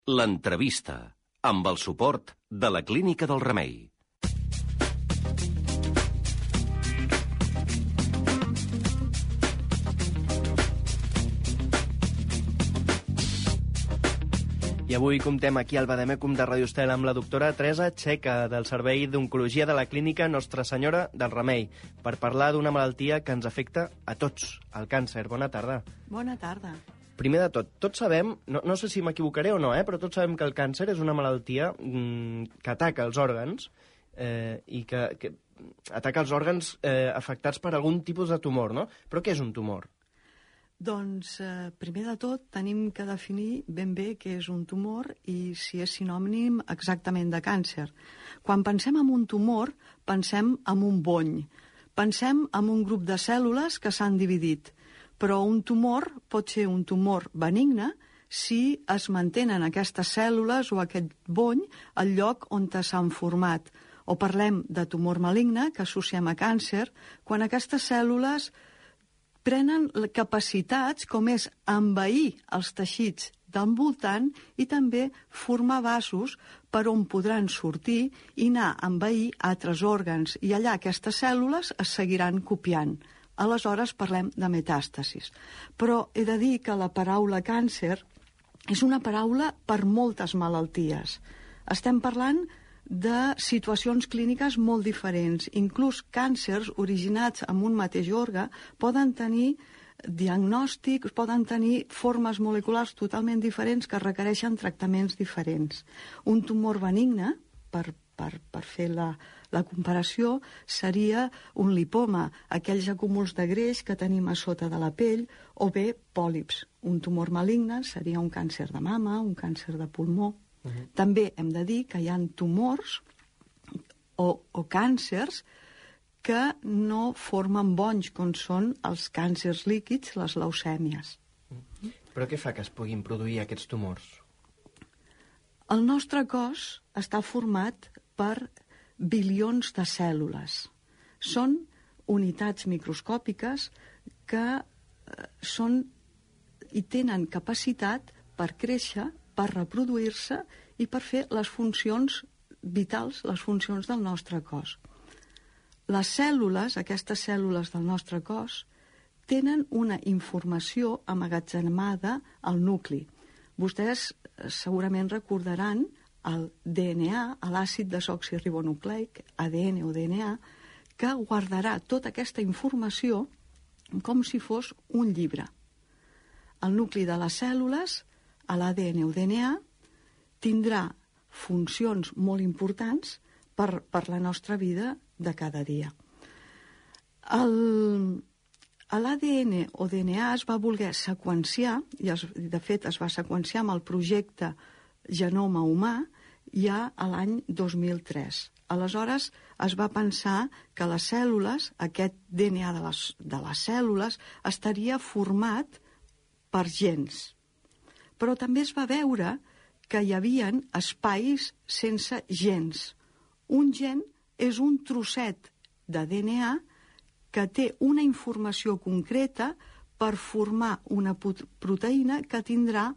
L'entrevista, amb el suport de la Clínica del Remei. I avui comptem aquí al Bademecum de Radio Estel amb la doctora Teresa Txeca, del Servei d'Oncologia de la Clínica Nostra Senyora del Remei, per parlar d'una malaltia que ens afecta a tots, el càncer. Bona tarda. Bona tarda. Primer de tot, tots sabem, no sé si m'equivocaré o no, però tots sabem que el càncer és una malaltia que ataca els òrgans i que ataca els òrgans afectats per algun tipus de tumor, no? Però què és un tumor? Doncs, primer de tot, tenim que definir ben bé què és un tumor i si és sinònim exactament de càncer. Quan pensem en un tumor, pensem en un bony. Pensem en un grup de cèl·lules que s'han dividit. Però un tumor pot ser un tumor benigne si es mantenen aquestes cèl·lules o aquest bony al lloc on s'han format. O parlem de tumor maligne, que associem a càncer, quan aquestes cèl·lules prenen capacitats com és envair els teixits d'envoltant i també formar vasos per on podran sortir i anar a envair altres òrgans. I allà aquestes cèl·lules es seguiran copiant. Aleshores parlem de metàstasis. Però he de dir que la paraula càncer és una paraula per moltes malalties. Estem parlant de situacions clíniques molt diferents. Inclús càncers originats en un mateix òrgan poden tenir diagnòstics, poden tenir formes moleculars totalment diferents que requereixen tractaments diferents. Un tumor benigne, per fer la comparació, seria un lipoma, aquells acúmuls de greix que tenim a sota de la pell, o bé pòlips. Un tumor maligne seria un càncer de mama, un càncer de pulmó. També hem de dir que hi ha tumors o càncers que no formen bonys, com són els càncers líquids, les leucèmies. Però què fa que es puguin produir aquests tumors? El nostre cos està format per bilions de cèl·lules. Són unitats microscòpiques que són i tenen capacitat per créixer, per reproduir-se i per fer les funcions vitals, les funcions del nostre cos. Les cèl·lules, aquestes cèl·lules del nostre cos, tenen una informació emmagatzemada al nucli. Vostès segurament recordaran el DNA, l'àcid desoxirribonucleic, ADN o DNA, que guardarà tota aquesta informació com si fos un llibre. El nucli de les cèl·lules, l'ADN o DNA, tindrà funcions molt importants per la nostra vida de cada dia. L'ADN o DNA es va voler seqüenciar, i de fet es va seqüenciar amb el projecte Genoma Humà ja a l'any 2003. Aleshores es va pensar que les cèl·lules, aquest DNA de les cèl·lules, estaria format per gens. Però també es va veure que hi havia espais sense gens. Un gen és un trosset de DNA que té una informació concreta per formar una proteïna que tindrà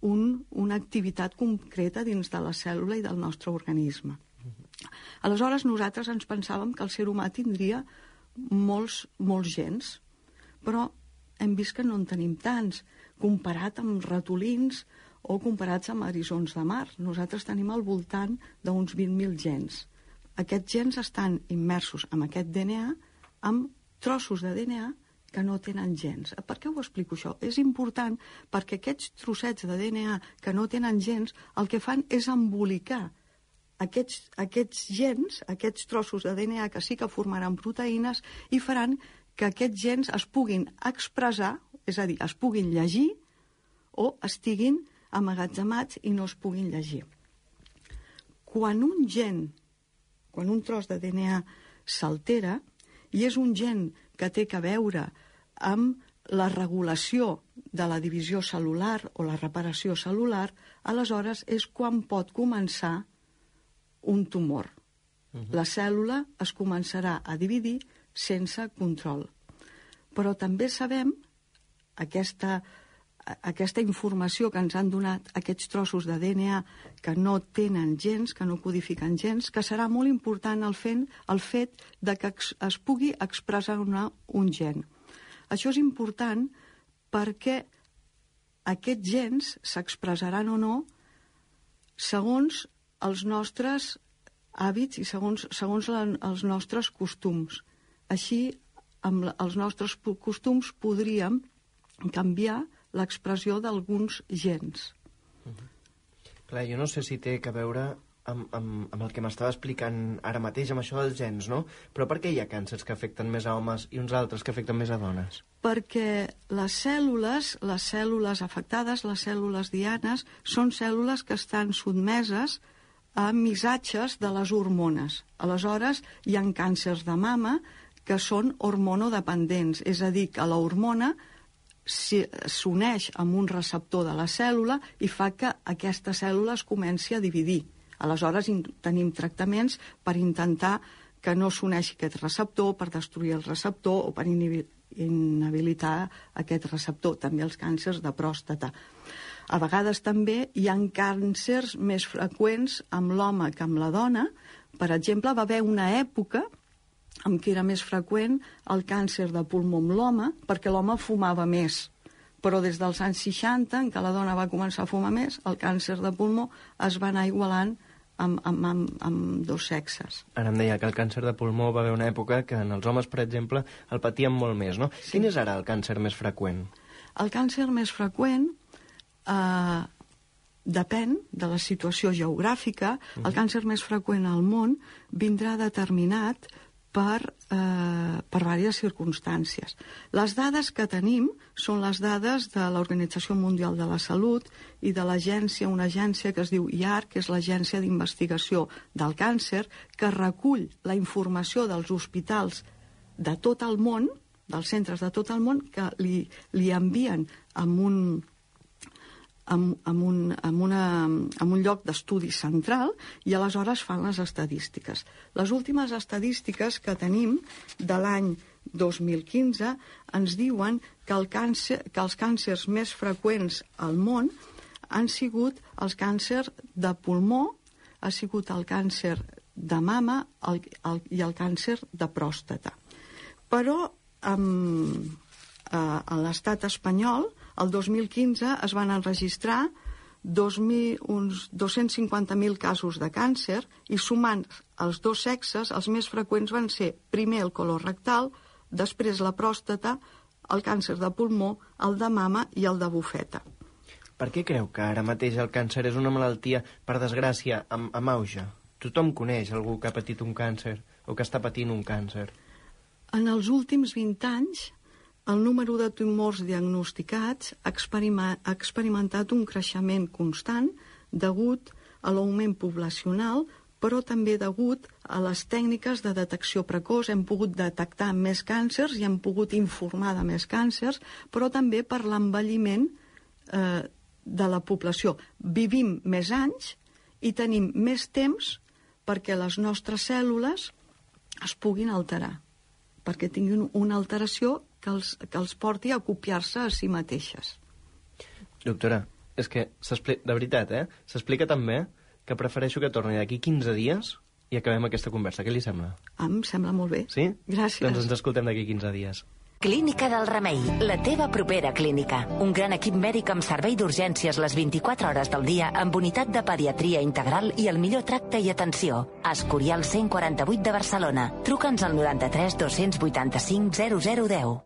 una activitat concreta dins de la cèl·lula i del nostre organisme. Aleshores nosaltres ens pensàvem que el ser humà tindria molts gens, però hem vist que no en tenim tants, comparat amb ratolins o comparats amb eriçons de mar. Nosaltres tenim al voltant d'uns 20.000 gens. Aquests gens estan immersos en aquest DNA amb trossos de DNA que no tenen gens. Per què ho explico això? És important perquè aquests trossets de DNA que no tenen gens el que fan és embolicar aquests gens, aquests trossos de DNA que sí que formaran proteïnes i faran que aquests gens es puguin expressar, és a dir, es puguin llegir o estiguin emmagatzemats i no es puguin llegir. Quan un tros de DNA s'altera, i és un gen que té a veure amb la regulació de la divisió cel·lular o la reparació cel·lular, aleshores és quan pot començar un tumor. La cèl·lula es començarà a dividir sense control. Però també sabem aquesta aquesta informació que ens han donat aquests trossos de DNA que no tenen gens, que no codifiquen gens, que serà molt important el fet de que es pugui expressar un gen. Això és important perquè aquests gens s'expressaran o no segons els nostres hàbits i segons els nostres costums. Així, amb els nostres costums podríem canviar l'expressió d'alguns gens. Clar, jo no sé si té a veure amb el que m'estava explicant ara mateix, amb això dels gens, no? Però per què hi ha càncers que afecten més a homes i uns altres que afecten més a dones? Perquè les cèl·lules afectades, les cèl·lules dianes, són cèl·lules que estan sotmeses a missatges de les hormones. Aleshores, hi ha càncers de mama que són hormonodependents, és a dir, que la hormona s'uneix amb un receptor de la cèl·lula i fa que aquesta cèl·lula es comenci a dividir. Aleshores, tenim tractaments per intentar que no s'uneixi aquest receptor, per destruir el receptor o per inhabilitar aquest receptor. També els càncers de pròstata. A vegades també hi ha càncers més freqüents amb l'home que amb la dona. Per exemple, va haver una època en què era més freqüent el càncer de pulmó amb l'home, perquè l'home fumava més. Però des dels anys 60, en què la dona va començar a fumar més, el càncer de pulmó es va anar igualant amb dos sexes. Ara em deia que el càncer de pulmó va haver una època que en els homes, per exemple, el patien molt més, no? Sí. Quin és ara el càncer més freqüent? El càncer més freqüent depèn de la situació geogràfica. El càncer més freqüent al món vindrà determinat per diverses circumstàncies. Les dades que tenim són les dades de l'Organització Mundial de la Salut i de una agència que es diu IARC, que és l'Agència d'Investigació del Càncer, que recull la informació dels hospitals de tot el món, dels centres de tot el món, que li envien amb un lloc d'estudi central i aleshores fan les estadístiques. Les últimes estadístiques que tenim de l'any 2015 ens diuen que els càncers més freqüents al món han sigut els càncers de pulmó, ha sigut el càncer de mama i el càncer de pròstata. Però a l'estat espanyol, el 2015 es van enregistrar uns 250.000 casos de càncer i sumant els dos sexes, els més freqüents van ser primer el colorectal, després la pròstata, el càncer de pulmó, el de mama i el de bufeta. Per què creu que ara mateix el càncer és una malaltia, per desgràcia, amb auge? Tothom coneix algú que ha patit un càncer o que està patint un càncer. En els últims 20 anys, el número de tumors diagnosticats ha experimentat un creixement constant degut a l'augment poblacional, però també degut a les tècniques de detecció precoç. Hem pogut detectar més càncers i hem pogut informar de més càncers, però també per l'envelliment de la població. Vivim més anys i tenim més temps perquè les nostres cèl·lules es puguin alterar, perquè tinguin una alteració que els porti a copiar-se a si mateixes. Doctora, és que, de veritat, s'explica tan bé que prefereixo que torni d'aquí 15 dies i acabem aquesta conversa. Què li sembla? Em sembla molt bé. Sí? Gràcies. Doncs ens escoltem d'aquí 15 dies. Clínica del Remei, la teva propera clínica. Un gran equip mèdic amb servei d'urgències les 24 hores del dia, amb unitat de pediatria integral i el millor tracte i atenció. Escorial 148 de Barcelona. Truca'ns al 93 285 0010.